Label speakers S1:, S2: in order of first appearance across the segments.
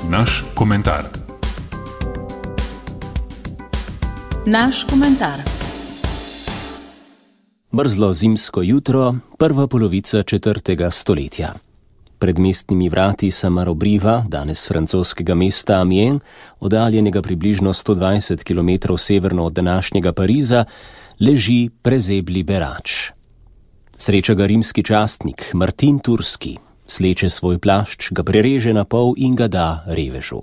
S1: Naš komentar.
S2: Naš komentar.
S3: Mrzlo zimsko jutro, prva polovica 4. stoletja. Pred mestnimi vrati Saint-Marobriva, danes francoskega mesta Amiens, oddaljenega približno 120 km severno od današnjega Pariza, leži prezebli berač. Sreča ga rimski častnik Martin Turski, sleče svoj plašč, ga prereže na pol in ga da revežu.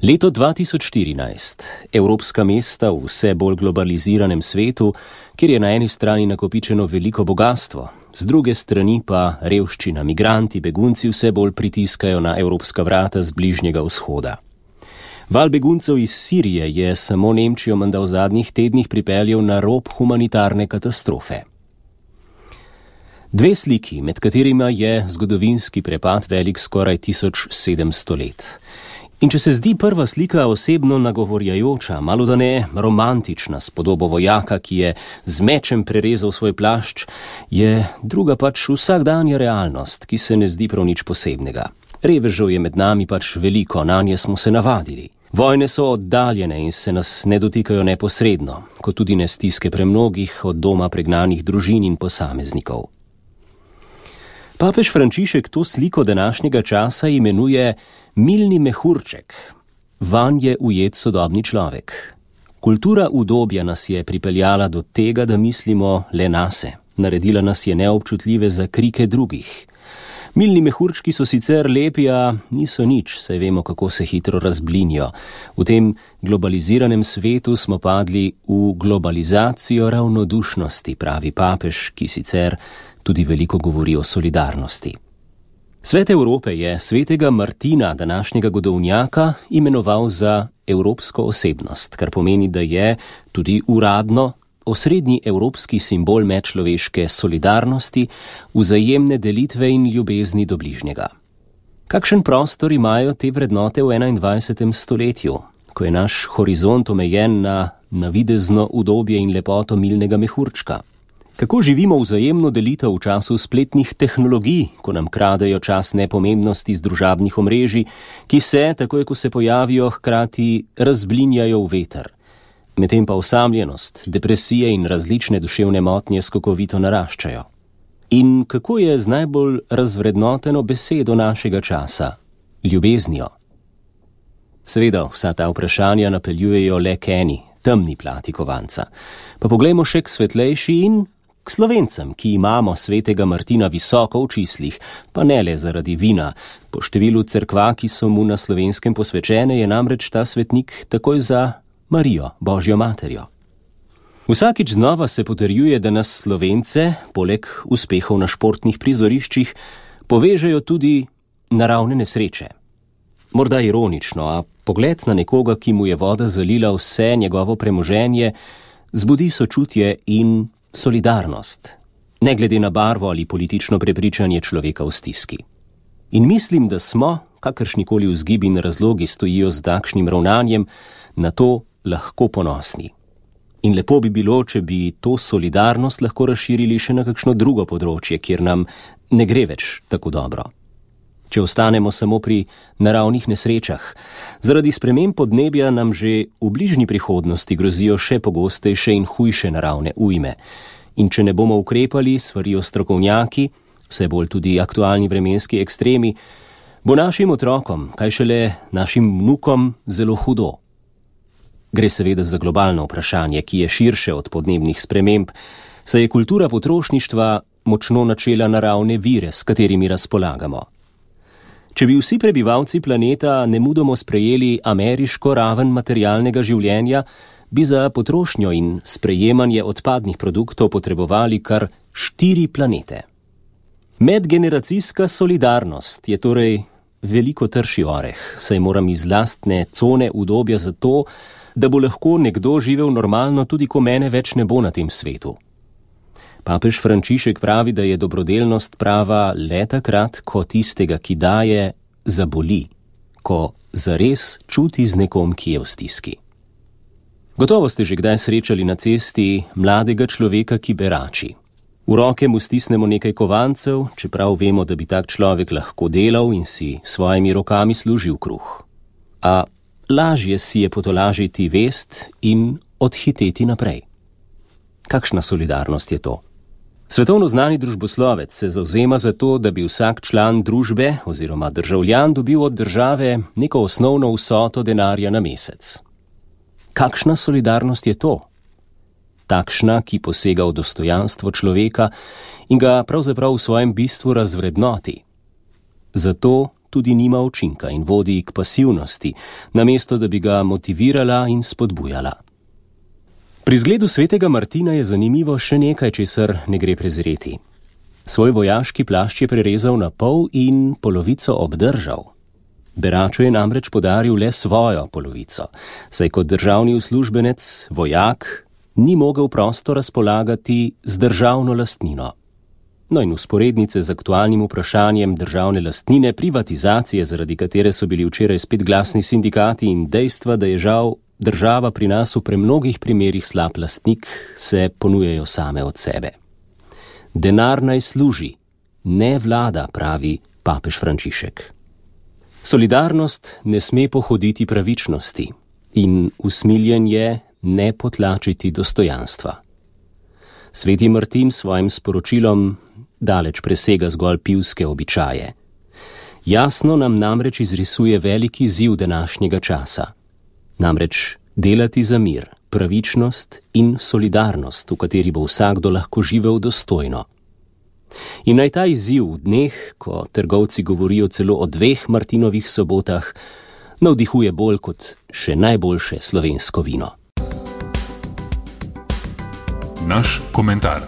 S3: Leto 2014. Evropska mesta v vse bolj globaliziranem svetu, kjer je na eni strani nakopičeno veliko bogastvo, z druge strani pa revščina, migranti, begunci vse bolj pritiskajo na evropska vrata z Bližnjega vzhoda. Val beguncev iz Sirije je samo Nemčijo menda v zadnjih tednih pripeljal na rob humanitarne katastrofe. Dve sliki, med katerima je zgodovinski prepad velik skoraj 1700 let. In če se zdi prva slika osebno nagovorjajoča, malodane romantična s podobo vojaka, ki je z mečem prerezal svoj plašč, je druga pač vsakdanja realnost, ki se ne zdi prav nič posebnega. Revežev je med nami pač veliko, nanje smo se navadili. Vojne so oddaljene in se nas ne dotikajo neposredno, kot tudi ne stiske premnogih od doma pregnanih družin in posameznikov. Papež Frančišek to sliko današnjega časa imenuje milni mehurček. Vanj je ujet sodobni človek. Kultura udobja nas je pripeljala do tega, da mislimo le nase. Naredila nas je neobčutljive za krike drugih. Milni mehurčki so sicer lepi, a niso nič, saj vemo, kako se hitro razblinijo. V tem globaliziranem svetu smo padli v globalizacijo ravnodušnosti, pravi papež, ki sicer tudi veliko govori o solidarnosti. Svet Evrope je svetega Martina, današnjega godovnjaka, imenoval za evropsko osebnost, kar pomeni, da je tudi uradno osrednji evropski simbol medčloveške solidarnosti, vzajemne delitve in ljubezni do bližnjega. Kakšen prostor imajo te vrednote v 21. stoletju, ko je naš horizont omejen na navidezno udobje in lepoto milnega mehurčka? Kako živimo vzajemno delitev v času spletnih tehnologij, ko nam kradejo čas nepomembnosti z družabnih omrežij, ki se, takoj ko se pojavijo, hkrati razblinjajo v veter? Medtem pa osamljenost, depresije in različne duševne motnje skokovito naraščajo. In kako je z najbolj razvrednoteno besedo našega časa? Ljubeznijo. Seveda, vsa ta vprašanja napeljujejo le k eni, temni plati kovanca. Pa poglejmo še k svetlejši in k Slovencem, ki imamo svetega Martina visoko v čislih, pa ne le zaradi vina. Po številu cerkva, ki so mu na Slovenskem posvečene, je namreč ta svetnik takoj za Marijo, Božjo materjo. Vsakič znova se potrjuje, da nas Slovence, poleg uspehov na športnih prizoriščih, povežejo tudi naravne nesreče. Morda ironično, a pogled na nekoga, ki mu je voda zalila vse njegovo premoženje, zbudi sočutje in solidarnost, ne glede na barvo ali politično prepričanje človeka v stiski. In mislim, da smo, kakršnikoli vzgibi in razlogi stojijo z takšnim ravnanjem, na to lahko ponosni. In lepo bi bilo, če bi to solidarnost lahko razširili še na kakšno drugo področje, kjer nam ne gre več tako dobro. Če ostanemo samo pri naravnih nesrečah, zaradi sprememb podnebja nam že v bližnji prihodnosti grozijo še pogostejše in hujše naravne ujme. In če ne bomo ukrepali, svarijo strokovnjaki, vse bolj tudi aktualni vremenski ekstremi, bo našim otrokom, kaj šele našim vnukom, zelo hudo. Gre seveda za globalno vprašanje, ki je širše od podnebnih sprememb, saj je kultura potrošništva močno načela naravne vire, s katerimi razpolagamo. Če bi vsi prebivalci planeta nemudoma sprejeli ameriško raven materialnega življenja, bi za potrošnjo in sprejemanje odpadnih produktov potrebovali kar 4 planete. Medgeneracijska solidarnost je torej veliko trši oreh, saj moram iz lastne cone udobja za to, da bo lahko nekdo živel normalno, tudi ko mene več ne bo na tem svetu. Papež Frančišek pravi, da je dobrodelnost prava le takrat, ko tistega, ki daje, zaboli, ko zares čuti z nekom, ki je v stiski. Gotovo ste že kdaj srečali na cesti mladega človeka, ki berači. V roke mu stisnemo nekaj kovancev, čeprav vemo, da bi tak človek lahko delal in si svojimi rokami služil kruh. A lažje si je potolažiti vest in odhiteti naprej. Kakšna solidarnost je to? Svetovno znani družboslovec se zavzema za to, da bi vsak član družbe oziroma državljan dobil od države neko osnovno vsoto denarja na mesec. Kakšna solidarnost je to? Takšna, ki posega v dostojanstvo človeka in ga pravzaprav v svojem bistvu razvrednoti. Zato tudi nima učinka in vodi k pasivnosti, namesto da bi ga motivirala in spodbujala. Pri zgledu svetega Martina je zanimivo še nekaj, česar ne gre prezreti. Svoj vojaški plašč je prerezal na pol in polovico obdržal. Beraču je namreč podaril le svojo polovico, saj kot državni uslužbenec, vojak, ni mogel prosto razpolagati z državno lastnino. No in vzporednice z aktualnim vprašanjem državne lastnine, privatizacije, zaradi katere so bili včeraj spet glasni sindikati, in dejstva, da je žal država pri nas v premnogih primerih slab lastnik, se ponujajo same od sebe. Denar naj služi, ne vlada, pravi papež Frančišek. Solidarnost ne sme pohoditi pravičnosti in usmiljen je ne potlačiti dostojanstva. Sveti Martin svojim sporočilom daleč presega zgolj pivske običaje. Jasno nam namreč izrisuje veliki izziv današnjega časa. Namreč delati za mir, pravičnost in solidarnost, v kateri bo vsakdo lahko živel dostojno. In naj ta izziv v dneh, ko trgovci govorijo celo o 2 Martinovih sobotah, navdihuje bolj kot še najboljše slovensko vino.
S1: Naš komentar.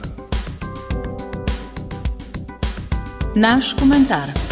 S2: Naš komentar.